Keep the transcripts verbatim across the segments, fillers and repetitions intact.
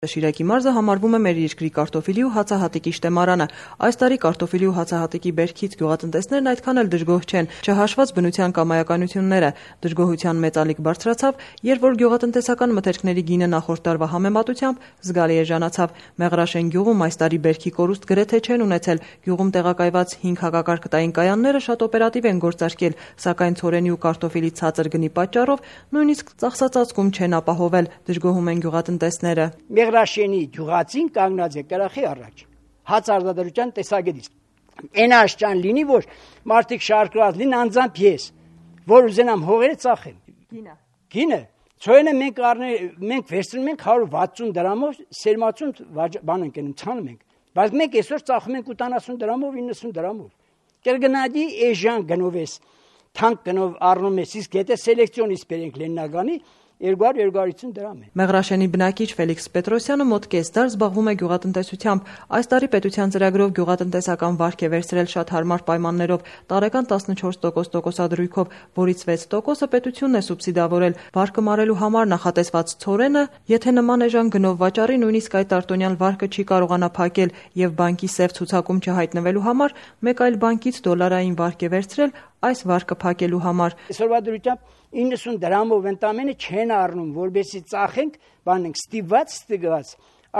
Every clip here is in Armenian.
Շիրակի մարզը համարվում է մեր երկրի կարտոֆիլի ու հացահատիկի շտեմարանը։ Այս տարի կարտոֆիլի ու հացահատիկի բերքից գյուղատնտեսներն այդքան էլ դժգոհ չեն, չհաշված բնության կամայականությունները։ Դժգոհության մեծ ալիք բարձրացավ, երբ որ գյուղատնտեսական մթերքների գինը նախորդ տարվա համեմատությամբ զգալի էժանացավ։ Մեղրաշեն գյուղում այս տարի բերքի կորուստ գրեթե չեն ունեցել։ Գյուղում տեղակայված հինգ հակակարգտային կայանները շատ օպերատիվ են գործարկել, սակայն ցորենի ու կարտոֆիլի ցածր գնի պատճառով նույնիսկ ծախսածածկում չեն ապահովել, դժգոհում են գյուղատնտեսները։ Մեղրաշենի գյուղացին կանգնած է կրախի առաջ, հաց արտադրության տեսակետից։ Այն աշճան լինի, որ մարդիկ շարքված լինեն անձամբ ես, որ ուզենամ հողերը ծախեմ։ Գինը։ Գինը, ցորենը մենք մենք վերցնում ենք հարյուր վաթսուն դրամով, սերմացուն բան ենք անում, ցանում ենք։ Բայց մենք այսօր ծախում ենք ութանասուն դրամով, իննսուն դրամով։ Կերգնադի էժան գնովես, թանկ գնով առնում ես, իսկ եթե սելեկցիոնից բերենք Լեննագանի երկու հարյուր երկու հարյուր ութ դրամ է։ Մեղրաշենի բնակիչ Ֆելիքս Պետրոսյանը մոտ կես դար զբաղվում է գյուղատնտեսությամբ։ Այս տարի պետության ծրագրով գյուղատնտեսական վարկ է վերցրել շատ հարմար պայմաններով, տարեկան տասնչորս տոկոս տոկոսադրույքով, որից վեց տոկոսը պետությունն է սուբսիդավորել։ Վարկը մարելու համար նախատեսված ցորենը, եթե նման էժան գնով վաճառի, նույնիսկ այդ արտոնյալ վարկը չի կարողանա փակել եւ բանկի սև ցուցակում չհայտնվելու համար մեկ այլ բանկից դոլարային վարկ է վերցրել այս վարկը փակելու համար։ Այսօրվա դրությամբ իննսուն դրամով ընդամենը չեն առնում, որբեսի ծախենք, բանենք ստիպված, ստիպված,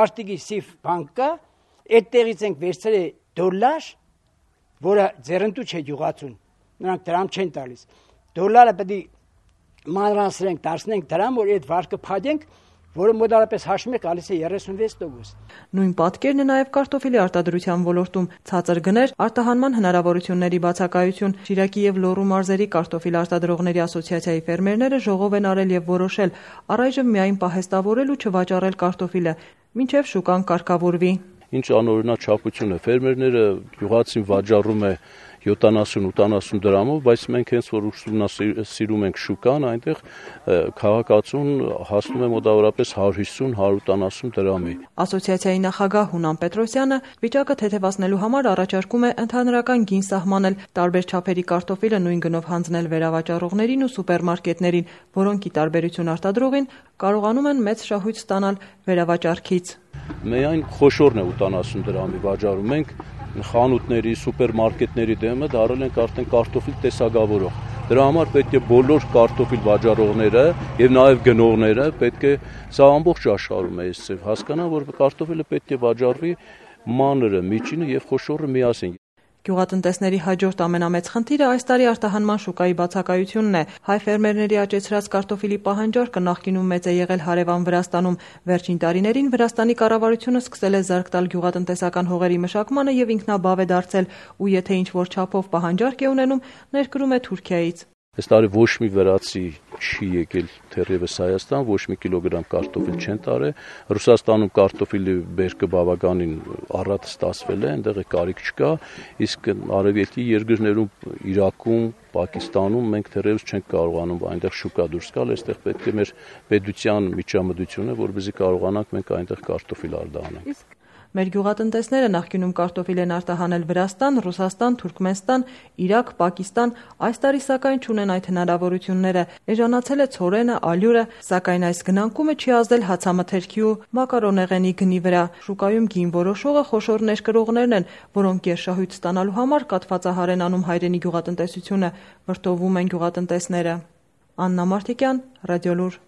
արտիգի սիվ բանկա, այդտեղից ենք վերցրել դոլար, որը ձեռնտու չէ գյուղացուն, նրանք դրամ չեն տալիս։ Դոլարը պետք է մանրացնենք, դարձնենք դրամ, որ այդ վարկը փակենք, որը մոտարապես հաշվում է գալիս է երեսունվեց տոկոս։ Նույն պատկերն է նաև կարտոֆիլի արտադրության ոլորտում, ցածր գներ, արտահանման հնարավորությունների բացակայություն։ Շիրակի եւ Լոռու մարզերի կարտոֆիլ արտադրողների ասոցիացիայի ֆերմերները ժողով են արել եւ որոշել առայժմ միայն պահեստավորել ու չվաճառել կարտոֆիլը, մինչեւ շուկան կարգավորվի։ Ինչ անօրինակ չափություն է, ֆերմերները գյուղացին վաճառում է յոթանասուն ութանասուն դրամով, բայց մենք հենց որ ուսումնասիրում ենք շուկան, այնտեղ քաղաքացուն հասնում է մոտավորապես հարյուր հիսուն հարյուր ութանասուն դրամի։ Ասոցիացիայի նախագահ Հունան Պետրոսյանը վիճակը թեթևացնելու համար առաջարկում է ընդհանրական գին սահմանել, տարբեր չափերի կարտոֆիլը նույն գնով հանձնել վերավաճառողներին ու սուպերմարկետներին, որոնք ի տարբերություն արտադրողին կարողանում են մեծ շահույթ ստանալ վերավաճառքից։ Միայն խոշորն է ութանասուն դրամի վաճառում ենք, խանութների, սուպերմարկետների դեմը դարել ենք արդեն կարտոֆիլ տեսակավորող։ Դրա համար պետք է բոլոր կարտոֆիլ վաճառողները եւ նաեւ գնողները պետք է սա ամբողջ աշխարհում է այսպես հասկանան, որ կարտոֆիլը պետք է վաճառվի մանրը, միջինը եւ խոշորը միասին։ Գյուղատնտեսների հաջորդ ամենամեծ խնդիրը այս տարի արտահանման շուկայի բացակայությունն է։ Հայ ֆերմերների աճեցրած կարտոֆիլի պահանջարկը նախկինում մեծ է եղել հարևան Վրաստանում։ Վերջին տարիներին Վրաստանի կառավարությունը սկսել է զարկ տալ գյուղատնտեսական հողերի մշակմանը եւ ինքնաբավ է դարձել, ու եթե ինչ-որ չափով պահանջարկ է ունենում, ներկրում է Թուրքիայից։ Այս տարի ոչ մի վրացի չի եկել թերևս Հայաստան, ոչ մի կիլոգրամ կարտոֆիլ չեն տարել։ Ռուսաստանում կարտոֆիլի բերքը բավականին առատ ստացվել է, այնտեղ կարիք չկա, իսկ արևելքի երկրներում Իրաքում, Պակիստանում մենք թերևս չենք կարողանում այնտեղ շուկա դուրս գալ, այստեղ պետք է մեր պետության միջամտությունը, որպեսզի կարողանանք մենք այնտեղ կարտոֆիլ արտահանենք։ Մեր գյուղատնտեսները նախկինում կարտոֆիլ են արտահանել Վրաստան, Ռուսաստան, Թուրքմենստան, Իրաք, Պակիստան, այս տարի սակայն չունեն այդ հնարավորությունները։ Էժանացել է ցորենը, ալյուրը, սակայն այս գնանկումը չի ազդել հացամթերքի ու մակարոնեղենի գնի վրա։ Շուկայում գին որոշողը խոշոր ներկրողներն են, որոնք գերշահույթ ստանալու համար կաթվածահար են անում հայրենի գյուղատնտեսությունը, վրդովում են գյուղատնտեսները։ Աննա Մարտիկյան, Ռադիոլուր։